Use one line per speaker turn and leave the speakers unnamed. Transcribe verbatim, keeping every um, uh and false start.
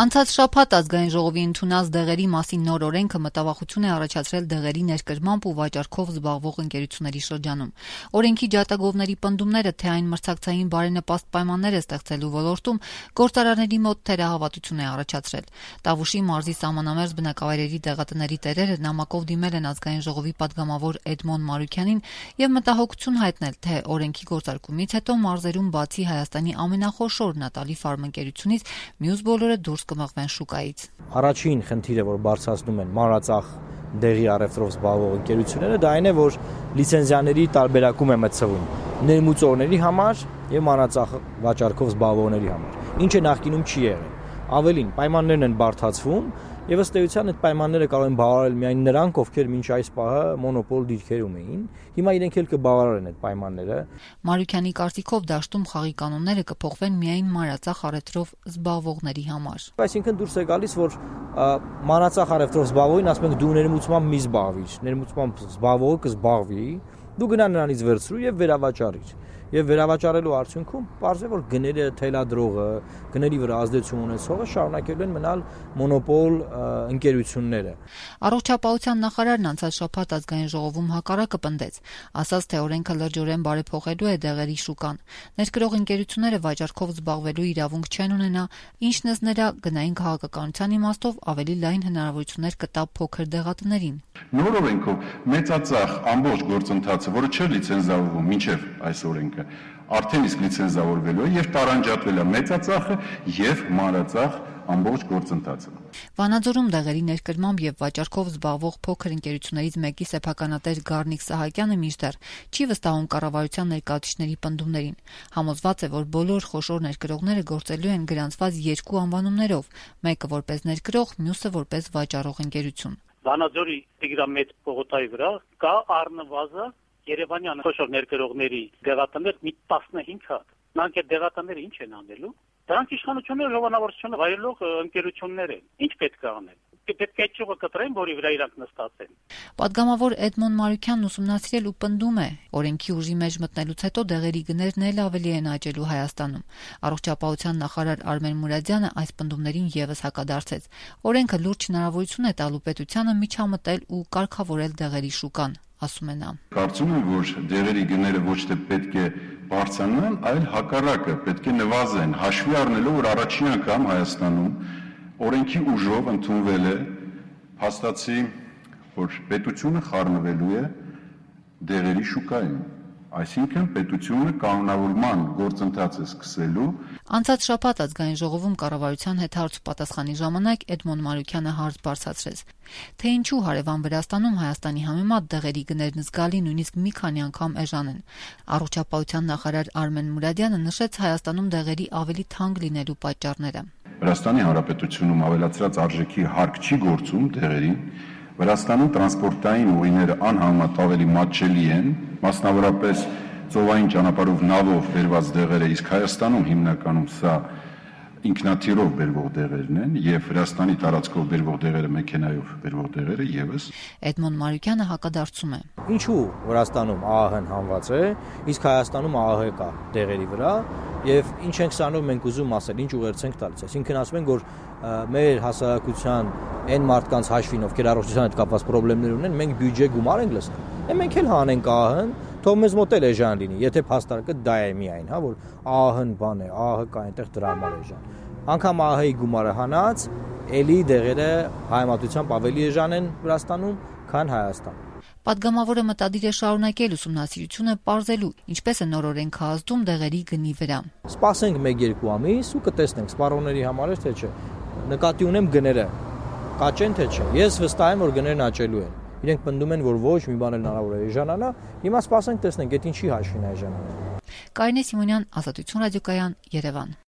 Անցած շաբաթ ազգային ժողովի ընդունած դեղերի մասին նոր օրենքը մտավախություն է առաջացրել դեղերի ներկրմամբ ու վաճառքով զբաղվող ընկերությունների շրջանում։ Օրենքի ջատագովների պնդումները, թե այն մրցակցային բարենպաստ պայմաններ է ստեղծելու ոլորտում, գործարարների մոտ թերահավատություն է առաջացրել։ Տավուշի մարզի սահմանամերձ բնակավայրերի դեղատների տերերը նամակով դիմել են ազգային ժողովի պատգամավոր Էդմոն Մարուքյանին եւ մտահոգություն հայտնել, թե օրենքի գործարկումից հետո մարզերում բացի Հայաստանի ամենախոշոր Նատալի ֆարմ ընկերությունից մյուս բոլորը դուրս կմղվեն շուկայից։
Առաջին խնդիրը, որ բարձրացնում են մանրածախ դեղի առևտրով զբաղվող ընկերությունները, դա այն է, որ լիցենզիաների տարբերակում է մտցվում ներմուծողների համար եւ մանրածախ վաճառքով զբաղվողների համար, ինչը նախկինում չի եղել։ Ավելին, պայմաններն են բարդացվում եւ ըստ էության այդ պայմանները կարող են բավարարել միայն նրանք, ովքեր մինչ այս պահը մոնոպոլ դիրքերում էին։ Հիմա իրենք էլ կբավարարեն այդ պայմանները։
Մարուքյանի կարծիքով դաշտում խաղի կանոնները կփոխվեն միայն մանրածախ առևտրով զբաղվողների համար։
Այսինքն դուրս է գալիս, որ մանրածախ առևտրով զբաղվողին ասում ենք դու ներմուծմամբ մի զբաղվիր, ներմուծմամբ զբաղվողը կզբաղվի, դու գնա նրանից վերցրու եւ վերավաճառիր։ Եվ վերավաճառելու արդյունքում պարզ է, որ գները թելադրողը, գների վրա ազդեցություն ունեցողը շարունակելու են մնալ մոնոպոլ ընկերությունները։
Առողջապահության նախարարն անցած շաբաթ ազգային ժողովում հակառակը պնդեց, ասաց, թե օրենքը լրջորեն բարեփոխելու է դեղերի շուկան։ Ներկրող ընկերությունները վաճառքով զբաղվելու իրավունք չեն ունենա, ինչն ըստ նրա գնային քաղաքականության իմաստով ավելի լայն հնարավորություններ կտա փոքր դեղատներին։
Նոր օրենքով մեծածախ ամբողջ գործընթացը, որը չէ լիցենզավորվում մինչև այս օրենքը, արդեն իսկ լիցենզավորվելու է եւ տարանջատվել է մեծածախը եւ մանրածախ ամբողջ գործընթացը։
Վանաձորում դեղերի ներկրմամբ եւ վաճառքով զբաղվող փոքր ընկերություններից մեկի սեփականատեր Գառնիկ Սահակյանը մինչդեռ չի վստահում կառավարության ներկայացուցիչների պնդումներին։ Համոզված է, որ բոլոր խոշոր ներկրողները գործելու են գրանցված երկու անվանումներով՝ մեկը որպես ներկրող, մյուսը որպես վաճառող ընկերություն։
Վանաձորի Տիգրամետ պողոտայի վրա կա առնվազն Երևանյան խոշոր ներկրողների դեղատներ մի տասնհինգ հատ։ Նրանք այդ դեղատները ինչ են անելու։ Դրանք իշխանությունները ժողովրդավարությունը վայելող ընկերություններ են։ Ինչ պետք է անել։ Պետք է ճյուղը կտրեն, որի վրա իրանք նստած են։
Պատգամավոր Էդմոն Մարուքյանն ուսումնասիրել ու պնդում է, օրենքի ուժի մեջ մտնելուց հետո դեղերի գներն էլ ավելի են աճելու Հայաստանում։ Առողջապահության նախարար Արմեն Մուրադյանը այս պնդումներին եւս հակադարձեց։ Օրենքը լուրջ հնարավորություն է տալու պետությանը միջամտել ու կարգավորել դեղերի շուկան, ասում է նա։
Կարծում եմ, որ դեղերի գները ոչ թե պետք է բարձրանան, այլ հակառակը պետք է նվազեն, հաշվի առնելով, որ առաջին անգամ Հայաստանում օրենքի ուժով ընդունվել է փաստացի, որ պետությունը խառնվելու է դեղերի շուկայում, այսինքն պետությունը կանոնավորման գործընթացը սկսելու։
Անցած շաբաթ ազգային ժողովում կառավարության հետ հարց ու պատասխանի ժամանակ Էդմոն Մարուքյանը հարց բարձրացրեց, թե ինչու հարևան Վրաստանում Հայաստանի համեմատ դեղերի գներն զգալի նույնիսկ մի քանի անգամ էժան են։ Առողջապահության նախարար Արմեն Մուրադյանը նշեց Հայաստանում դեղերի ավելի թանկ լինելու պատճառները։
Վրաստանի Հանրապետությունում ավելացրած արժեքի հարկ չի գործում դեղերին, Վրաստանում տրանսպորտային ուղիները անհամեմատ ավելի մատչելի են, մասնավորապես ծովային ճանապարհով նավով բերված դեղերը, իսկ Հայաստանում հիմնականում սա ինքնաթիռով բերվող դեղերն են եւ Վրաստանի տարածքով բերվող դեղերը մեքենայով բերվող դեղերը եւս։
Էդմոն Մարուքյանը հակադարձում է։
Ինչու Վրաստանում ԱԱՀ-ն հանված է, իսկ Հայաստանում ԱԱՀ կա դեղերի վրա եւ ինչ ենք սանով մենք ուզում ասել, ինչ ուղերձ ենք տալիս։ Այսինքն ասում ենք, որ մեր հասարակության այն մարդկանց հաշվին, ովքեր առողջության հետ կապված խնդիրներ ունեն, մենք բյուջե գումար ենք լսում։ Է մենք էլ հանենք ԱԱՀ-ն, թող մեզ մոտ էլ էժան լինի, եթե փաստարկը դա է միայն, հա, որ ԱԱՀ-ն բան է, ԱԱՀ կա այնտեղ դրա համար էժան։ Անկամ ԱԱՀ-ի գումարը հանած, էլի դեղերը հայմատությամբ ավելի էժան են Վրաստանում, քան Հայաստանում։
Պատգամավորը մտադիր է շարունակել ուսումնասիրությունը պարզելու, ինչպես է նոր օրենքը ազդում դեղերի գնի վրա։
Սպասենք մեկ-երկու ամիս ու կտեսնենք սպառողների համար է թե չէ։ Նկատի ունեմ գները կաճեն թե չէ։ Ես վստահ եմ, որ գներն աճելու են։ Իրենք պնդում են, որ ոչ մի բան էլ հնարավոր է էժանանա։ Հիմա սպասենք տեսնենք, այդ ինչի հաշվին է էժանանա։
Կարինե Սիմոնյան, Ազատություն ռադիոկայան, Երևան։